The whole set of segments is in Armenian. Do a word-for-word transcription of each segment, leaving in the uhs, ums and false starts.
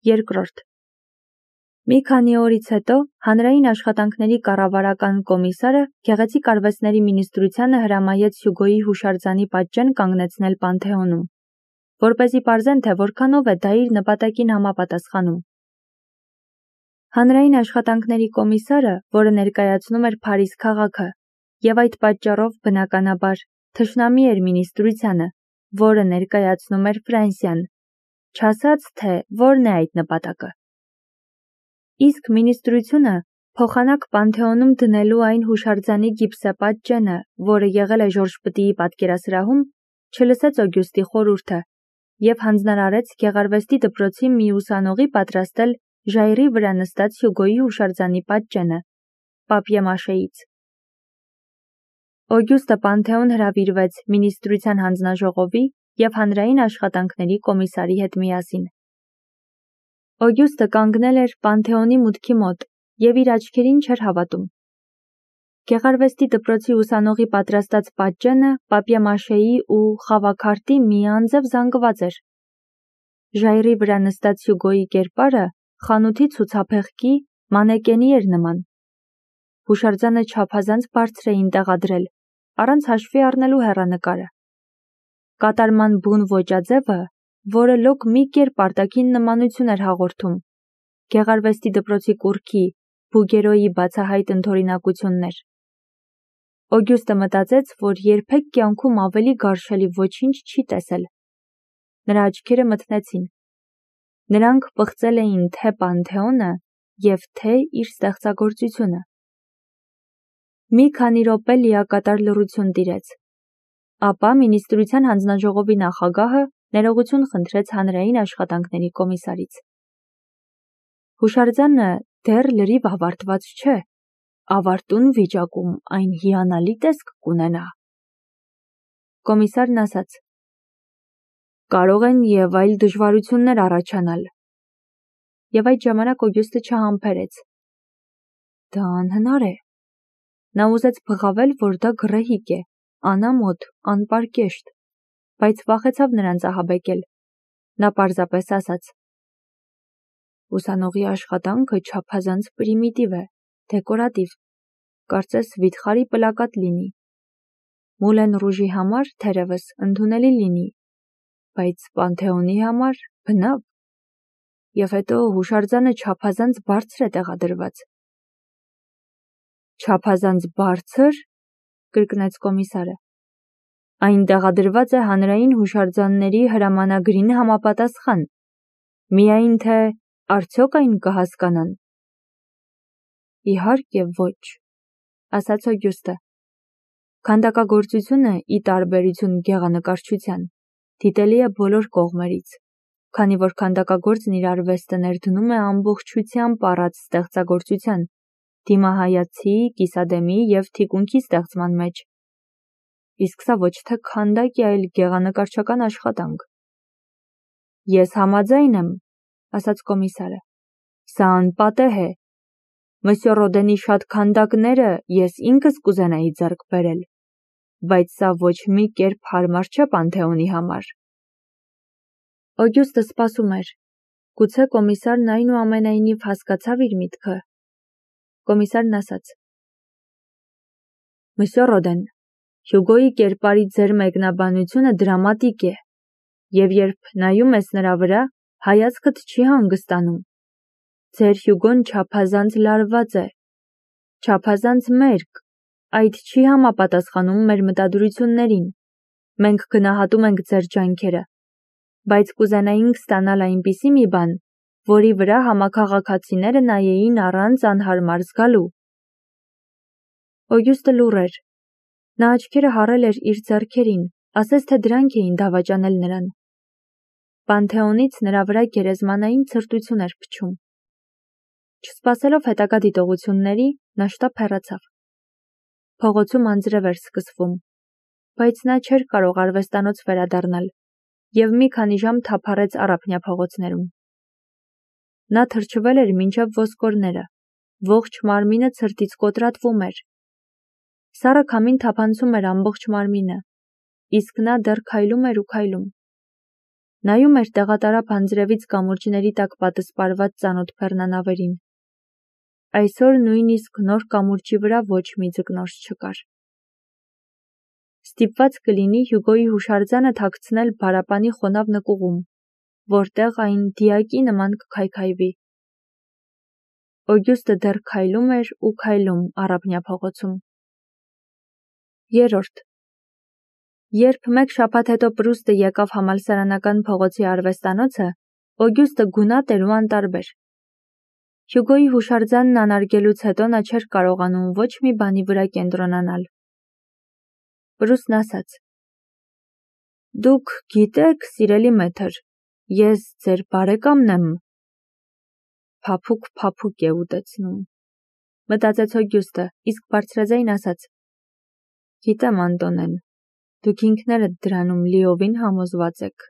Երկրորդ. Մի քանի օրից հետո հանրային աշխատանքների կառավարական կոմիսարը գեղեցիկ արվեստների մինիստրությանը հրամայեց Հյուգոյի հուշարձանի պատճեն կանգնեցնել Պանթեոնում, որպեսզի պարզեն, թե որքանով է դա իր նպատակին համապատասխանում։ Հանրային աշխատանքների կոմիսարը, որը ներկայացնում էր Փարիզ քաղաքը, եւ այդ պատճառով բնականաբար թշնամի էր մինիստրությանը, որը ներկայացնում էր Ֆրանսիան, չասաց, թե որն է այդ նպատակը։ Իսկ մինիստրությունը փոխանակ Պանթեոնում դնելու այն հուշարձանի գիպսապատճենը, որը եղել է Ժորժ Պտիի պատկերասրահում, չլսեց Օգյուստի խորհուրդը եւ հանձնարարեց գեղարվեստի դպրոցի մի ուսանողի պատրաստել ժայռի վրա նստած Հյուգոյի հուշարձանի պատճենը պապիե-մաշեից։ Օգյուստը Պանթեոն հրավիրվեց մինիստրության հանձնաժողովի եւ հանրային աշխատանքների կոմիսարի հետ միասին։ Օգյուստը կանգնել էր Պանթեոնի մուտքի մոտ եւ իր աչքերին չէր հավատում։ Գեղարվեստի դպրոցի ուսանողի պատրաստած պատճենը պապիե-մաշեի ու խավաքարտի մի անձև զանգված էր։ Ժայռի վրա նստած Հյուգոյի կերպարը խանութի ցուցափեղկի մանեկենի էր նման։ Հուշարձանը չափազանց բարձր էին տեղադրել, առանց հաշվի առնելու հեռանկարը։ Կատարման բուն ոճաձևը, որը լոկ մի կերպ արտաքին նմանություն էր հաղորդում, գեղարվեստի դպրոցի կուռքի, Բուգերոյի բացահայտ ընդօրինակություններ։ Օգյուստը մտածեց, որ երբեք կյանքում ավելի գարշելի ոչինչ չի տեսել։ Նրա աչքերը մթնեցին։ Նրանք պղծել էին թե Պանթեոնը եւ թե իր ստեղծագործությունը։ Մի քանի րոպե լիակատար լռություն տիրեց։ Ապա մինիստրության հանձնաժողովի նախագահը ներողություն խնդրեց հանրային աշխատանքների կոմիսարից։ Հուշարձանը դեռ լրիվ ավարտված չէ, ավարտուն վիճակում այն հիանալի տեսք կունենա։ Կոմիսարն ասաց. Կարող են եւ այլ դժվարություններ առաջանալ։ Եվ այդ ժամանակ Օգյուստը չհամբերեց։ Դա անհնար է։ Նա ուզեց բղավել, որ դա գռեհիկ է, անամոթ, անպարկեշտ, բայց վախեցավ նրանց ահաբեկել։ Նա պարզապես ասաց. Ուսանողի աշխատանքը չափազանց պրիմիտիվ է, դեկորատիվ, կարծես վիթխարի պլակատ լինի։ Մուլեն ռուժի համար թերևս ընդունելի լինի, բայց Պանթեոնի համար բնավ։ Եվ հետո հուշարձանը չափազանց բարձր է տեղադրված։ Չափազանց բարձր, կրկնեց կոմիսարը։ Այն տեղադրված է հանրային հուշարձանների հրամանագրին համապատասխան, միայն թե արդյոք այն կհասկանան։ Իհարկե ոչ, ասաց Օգյուստը։ Քանդակագործությունը, ի տարբերություն գեղանկարչության, դիտելի է բոլոր կողմերից, քանի որ քանդակագործն իր արվեստը ներդնում է ամբողջությամբ առած ստեղծագործության, դիմահայացի, կիսադեմի եւ թիկունքի ստեղծման մեջ։ Իսկ սա ոչ թե քանդակ է, այլ գեղանկարչական աշխատանք։ Ես համաձայն եմ, ասաց կոմիսարը։ Սա անպատեհ է։ Մսյո Ռոդենի շատ քանդակները ես ինքս կուզենայի ձեռք բերել, բայց սա ոչ մի կերպ հարմար չէ Պանթեոնի համար։ Օգյուստը սպասում էր։ Գուցե կոմիսարն այնուամենայնիվ հասկացավ իր միտքը։ Կոմիսարն ասաց. Մսյո Ռոդեն, Հյուգոյի կերպարի ձեր մեկնաբանությունը դրամատիկ է, եւ երբ նայում ես նրա վրա, հայացքդ չի հանգստանում։ Ձեր Հյուգոն չափազանց լարված է, չափազանց մերկ, այդ չի համապատասխանում մեր մտադրություններին։ Մենք գնահատում ենք ձեր ջանքերը, բայց կուզենայինք ստանալ այնպիսի մի բան, որի վրա համաքաղաքացիները նայեին առանց անհարմար զգալու։ Օգյուստը լուռ էր։ Նա աչքերը հառել էր իր ձեռքերին, ասես թե դրանք էին դավաճանել նրան։ Պանթեոնից նրա վրա գերեզմանային ցրտություն էր փչում։ Չսպասելով հետագա դիտողությունների, նա շտապ հեռացավ։ Փողոցում անձրև էր սկսվում, բայց նա չէր կարող արվեստանոց վերադառնալ եւ մի քանի ժամ թափառեց առափնյա փողոցներում։ Նա թրջվել էր մինչև ոսկորները, ողջ մարմինը ցրտից կոտրատվում էր։ Սառը քամին թափանցում էր ամբողջ մարմինը, իսկ նա դեռ քայլում էր ու քայլում։ Նայում էր տեղատարափ անձրևից կամուրջների տակ պատսպարված ծանոթ բեռնանավերին։ Այսօր նույնիսկ նոր կամուրջի վրա ոչ մի ձկնորս չկար։ Ստիպված կլինի Հյուգոյի հուշարձանը թաքցնել բարապանի խոնավ նկուղում, որտեղ այն դիակի նման կքայքայվի։ Օգյուստը դեռ քայլում էր ու քայլում առափնյա փողոցում։ Երրորդ. Երբ մեկ շաբաթ հետո Պրուստը եկավ համալսարանական փողոցի արվեստանոցը, Օգյուստը գունատ էր ու անտարբեր։ Հյուգոյի հուշարձանն անարգելուց հետո նա չէր կարողանում ոչ մի բանի վրա կենտրոնանալ։ Պրուստն ասաց. «Դուք գիտեք, սիրելի մեթր, ես ձեր բարեկամն եմ»։ Փափուկ-փափուկ է ուտեցնում, մտածեց Օգյուստը, իսկ բարձրաձայն ասաց. «Գիտեմ, Անտոնեն, դուք ինքներդ դրանում լիովին համոզված եք»։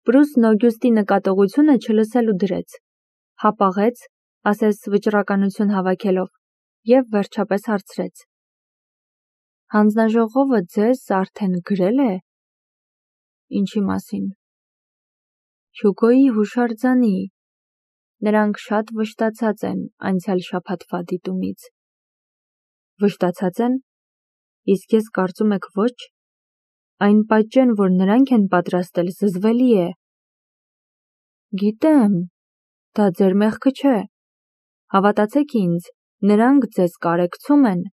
Պրուստն Օգյուստի նկատողությունը չլսելու դրեց, հապաղեց, ասես վճռականություն հավաքելով, և վերջապես հարցրեց. «Հանձնաժողովը ձեզ արդեն գրել է»։ «Ինչի մասին»։ «Հյուգոյի հուշարձանի։ Նրանք շատ վշտացած են անցյալ շաբաթվա դիտումից»։ «Վշտացած են։ Իսկ ես կարծում եք ոչ։ Այն պատճեն, որ նրանք են պատրաստել, զզվելի է»։ «Գիտեմ, դա ձեր մեղքը չէ։ Հավատացեք ինձ, նրանք ձեզ կարեկցում են։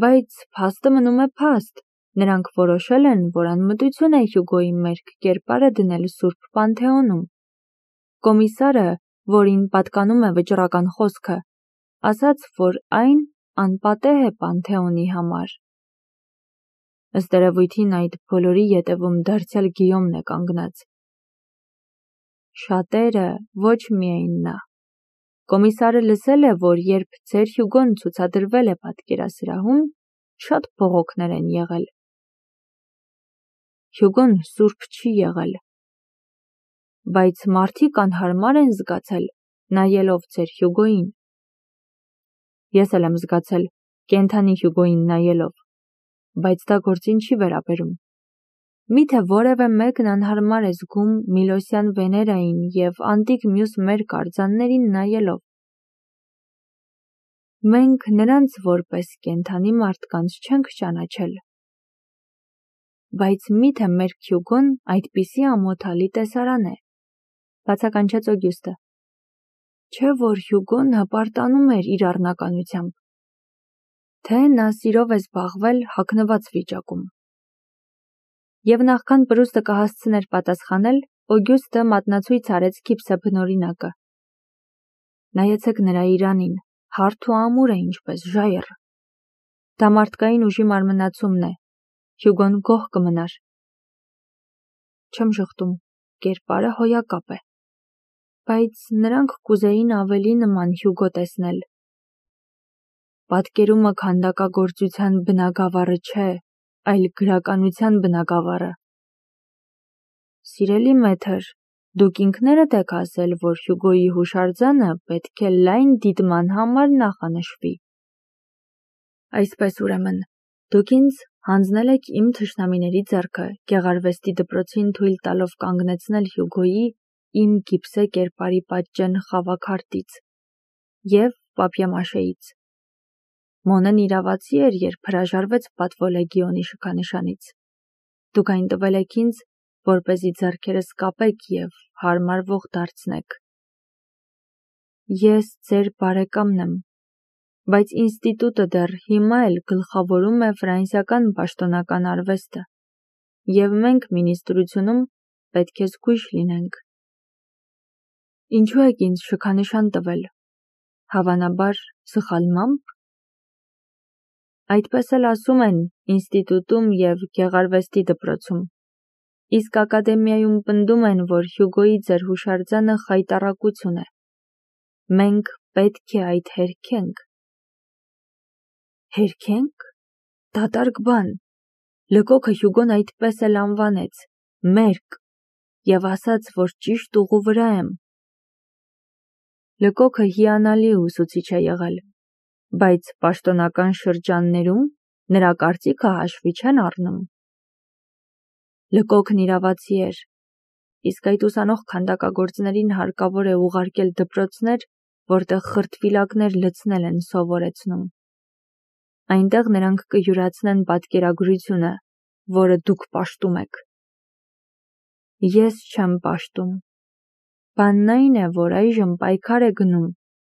Բայց փաստը մնում է փաստ, նրանք որոշել են, որ անմտություն է Հյուգոյի մերկ կերպարը դնել Սուրբ Պանթեոնում։ Կոմիսարը, որին պատկանում է վճռական խոսքը, ասաց, որ այն անպատեհ է Պանթեոնի համար։ Ըստ երևույթին այդ բոլորի ետևում դարձյալ Գիյոմն է կանգնած։ Շատերը, ոչ միայն նա։ Կոմիսարը լսել է, որ երբ ձեր Հյուգոն ցուցադրվել է պատկերասրահում, շատ բողոքներ են եղել։ Հյուգոն սուրբ չի եղել։ Բայց մարդիկ անհարմար են զգացել, նայելով ձեր Հյուգոյին։ Ես էլ եմ զգացել, կենդանի Հյուգոյին նայելով, բայց դա գործին չի վերաբերում։ Միթե որևէ մեկն անհարմար է զգում Միլոսյան Վեներային և անտիկ մյուս մերկ արձաններին նայելով։ Մենք նրանց որպես կենդանի մարդկանց չենք ճանաչել։ Բայց միթե մերկ Հյուգոն այդպիսի ամոթալի տեսարան է, բացականչեց Օգյուստը։ Չէ՞ որ Հյուգոն հպարտանում էր իր առնականությամբ, թե նա սիրով է զբաղվել հագնված վիճակում։ Եվ նախքան Պրուստը կհասցներ պատասխանել, Օգյուստը մատնացույց արեց քիփսեբնօրինակը։ Նայեցեք նրա իրանին, հարթ ու ամուր է ինչպես ժայռ։ Դա մարդկային ուժի մարմնացումն է, Հյուգոն գոհ կմնար։ Չեմ ժխտում, կերպարը հոյակապ է։ Բայց նրանք կուզեին ավելի նման Հյուգո տեսնել։ Պատկերումը քանդակագործության բնագավառը չէ, այլ գրականության բնագավառը։ Սիրելի մեթր, դուք ինքներդ եք ասել, որ Հյուգոյի հուշարձանը պետք է լայն դիտման համար նախանշվի։ Այսպես ուրեմն, դուք ինձ հանձնել եք իմ թշնամիների ձեռքը գեղարվեստի դպրոցին թույլ տալով կանգնեցնել Հյուգոյի իմ գիպսե կերպարի պատճեն խավաքարտից և պապիե-մաշեից։ Մոնեն իրավացի էր, երբ հրաժարվեց պատվո լեգիոնի շքանշանից։ Դուք այն տվել եք ինձ, որպեսզի ձեռքերս կապեք և հարմարվող դարձնեք։ Ես ձեր բարեկամն եմ, բայց ինստիտուտը դեռ հիմա էլ գլխավորում է ֆրանսիական պաշտոնական արվեստը, և մենք մինիստրությունում պետք է զգույշ լինենք։ Ինչու եք ինձ շքանշան տվել, հավանաբար սխալմամբ։ Այդպես էլ ասում են ինստիտուտում և գեղարվեստի դպրոցում, իսկ ակադեմիայում պնդում են, որ Հյուգոյի ձեր հուշարձանը խայտառակություն է։ Մենք պետք է այդ հերքենք։ Հերքե՞նք։ Դատարկ բան։ Լկոքը Հյուգոն այդպես էլ անվանեց, մերկ, և ասաց, որ ճիշտ ուղու վրա եմ։ Լկոքը հիանալի ուսուցիչ է եղել, բայց պաշտոնական շրջաններում նրա կարծիքը հաշվի չեն առնում։ Լկոքն իրավացի էր, իսկ այդ ուսանող քանդակագործներին հարկավոր է ուղարկել դպրոցներ, որտեղ խրտվիլակներ լցնել են սովորեցնում։ Այնտեղ նրանք կյուրացնեն պատկերագրությունը, որը դուք պաշտում եք։ Ես չեմ պաշտում։ Բանն այն է, որ այժմ պայքար է գնում,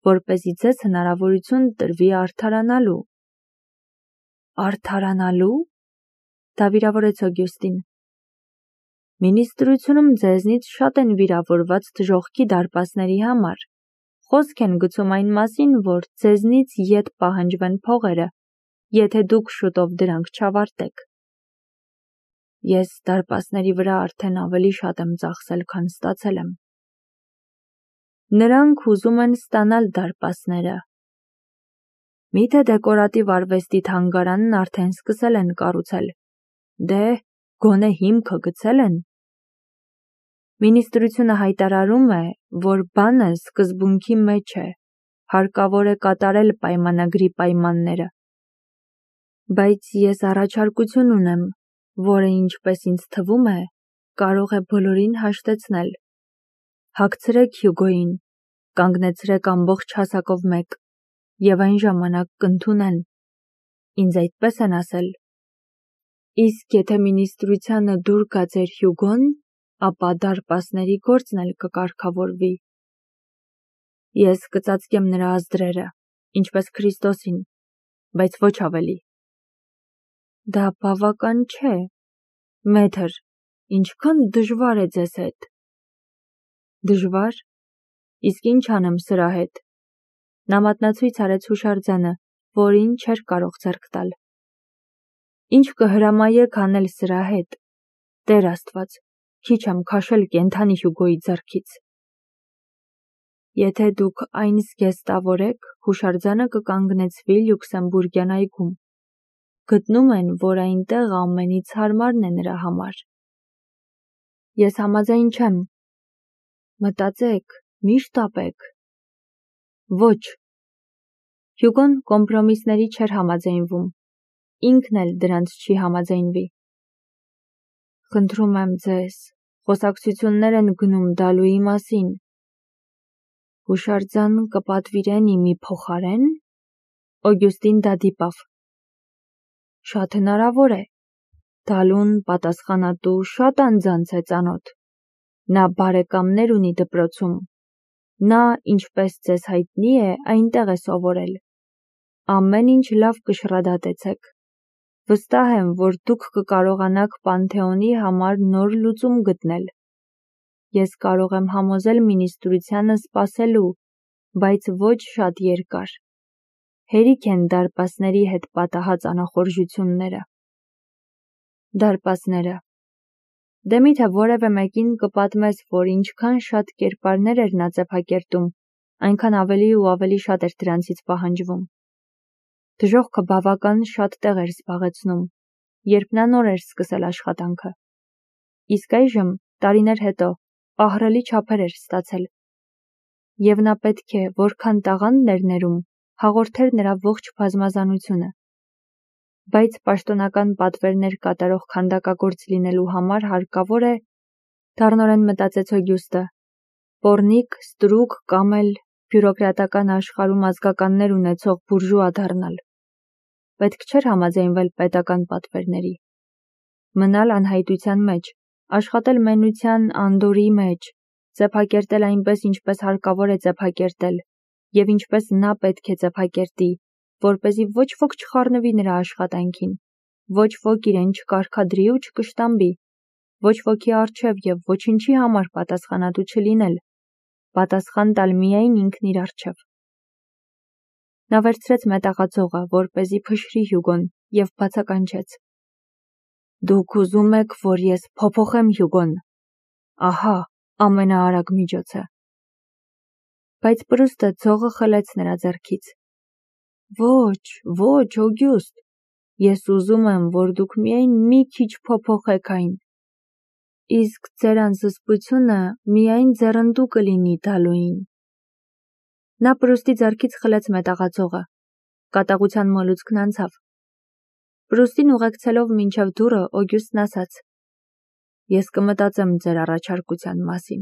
որպեսզի ձեզ հնարավորություն տրվի արդարանալու։ Արդարանալու։ Դավիրավորեց Օգյուստին։ Մինիստրությունում ձեզնից շատ են վիրավորված դժոխքի դարպասների համար։ Խոսք են գցում այն մասին, որ ձեզնից ետ պահանջվեն փողերը, եթե դուք շուտով դրանք չավարտեք։ Ես դարպասների վրա արդեն ավելի շատ եմ ծախսել, քան ստացել եմ։ Նրանք ուզում են ստանալ դարպասները։ Միթե դեկորատիվ արվեստի թանգարանն արդեն սկսել են կառուցել։ Դե, գոնե հիմքը գցել են։ Մինիստրությունը հայտարարում է, որ բանը սկզբունքի մեջ է, հարկավոր է կատարել պայմանագրի պայմանները։ Բայց ես առաջարկություն ունեմ, որը, ինչպես ինձ թվում է, կարող է բոլորին հաշտեցնել։ Հագցրեք Հյուգոյին, կանգնեցրեք ամբողջ հասակով մեկ, և այն ժամանակ կընդունեն։ Ինձ այդպես են ասել։ Իսկ եթե մինիստրությանը դուր գա ձեր Հյուգոն, ապա դարպասների գործն էլ կկարգավորվի։ Ես կծածկեմ նրա ազդրերը, ինչպես Քրիստոսին, բայց ոչ ավելի։ Դա բավական չէ։ Մեթր, ինչքան դժվար է ձեզ հետ։ Դժվար։ Իսկ ինչ անեմ սրա հետ։ Նա մատնացույց արեց հուշարձանը, որին չէր կարող ձեռք տալ։ Ինչ կհրամայեք անել սրա հետ։ Տեր Աստված, քիչ եմ քաշել կենդանի Հյուգոյի ձեռքից։ Եթե դուք այն զգեստավորեք, հուշարձանը կկանգնեցվի Լյուքսեմբուրգյան այգում։ Գտնում են, որ այնտեղ ամենից հարմարն է նրա համար։ Ես համաձայն չեմ։ Մտածեք, մի շտապեք։ Ոչ։ Հյուգոն կոմպրոմիսների չէր համաձայնվում։ Ինքն էլ դրանց չի համաձայնվի։ Խնդրում եմ ձեզ, խոսակցություններ են գնում Դալուի մասին։ Հուշարձան կպատվիրեն իմի փոխարեն։ Օգյուստին դա դիպավ։ Շատ հնարավոր է։ Դալուն պատասխանատու շատ անձանց է ծանոթ։ Նա բարեկամներ ունի դպրոցում։ Նա, ինչպես ձեզ հայտնի է, այնտեղ է սովորել։ Ամեն ինչ լավ կշռադատեցեք։ Վստահ եմ, որ դուք կկարողանաք Պանթեոնի համար նոր լուծում գտնել։ Ես կարող եմ համոզել մինիստրությանը սպասելու, բայց ոչ շատ երկար։ Հերիք են դարպասների հետ պատահած անախորժությունները։ Դարպասները։ Դե միթե որևէ մեկին կպատմես, որ ինչքան շատ կերպարներ էր նա ծեփակերտում, այնքան ավելի ու ավելի շատ էր դրանցից պահանջվում։ Դժոխքը բավական շատ տեղ էր զբաղեցնում, երբ նա նոր էր սկսել աշխատանքը։ Իսկ այժմ, տարիներ հետո, ահռելի չափեր էր ստացել։ Եվ նա պետք է, որքան տաղանդն էր ներում, հաղորդեր նրա ողջ բազմազանությունը։ Բայց պաշտոնական պատվերներ կատարող քանդակագործ լինելու համար հարկավոր է, դառնորեն մտածեց Օգյուստը, պոռնիկ, ստրուկ կամ էլ բյուրոկրատական աշխարհում ազգականներ ունեցող բուրժուա դառնալ։ Պետք չէր համաձայնվել պետական պատվերների։ Մնալ անհայտության մեջ, աշխատել մենության անդորի մեջ, ծեփակերտել այնպես, ինչպես հարկավոր է ծեփակերտել, և ինչպես նա պետք է ծեփակերտի, որպեսզի ոչ ոք չխառնվի նրա աշխատանքին, ոչ ոք իրեն չկարգադրի ու չկշտամբի, ոչ ոքի առջև և ոչինչի համար պատասխանատու չլինել, պատասխան տալ միայն ինքն իր առջև։ Նա վերցրեց մետաղածողը, որպեսզի փշրի Հյուգոն, և բացականչեց. Դուք ուզում եք, որ ես փոփոխեմ Հյուգոն։ Ահա, ամենաարագ միջոցը։ Բայց Պրուստը ցողը խլեց նրա ձեռքից։ Ոչ, ոչ, Օգյուստ, ես ուզում եմ, որ դուք միայն մի քիչ փոփոխեք այն։ Իսկ ձեր անզսպությունը միայն ձեռնդու կլինի Դալուին։ Նա Պրուստի ձեռքից խլեց մետաղածողը։ Կատաղության մոլուցքն անցավ։ Պրուստին ուղեկցելով մինչև դուռը, Օգյուստն ասաց. Ես կմտածեմ ձեր առաջարկության մասին։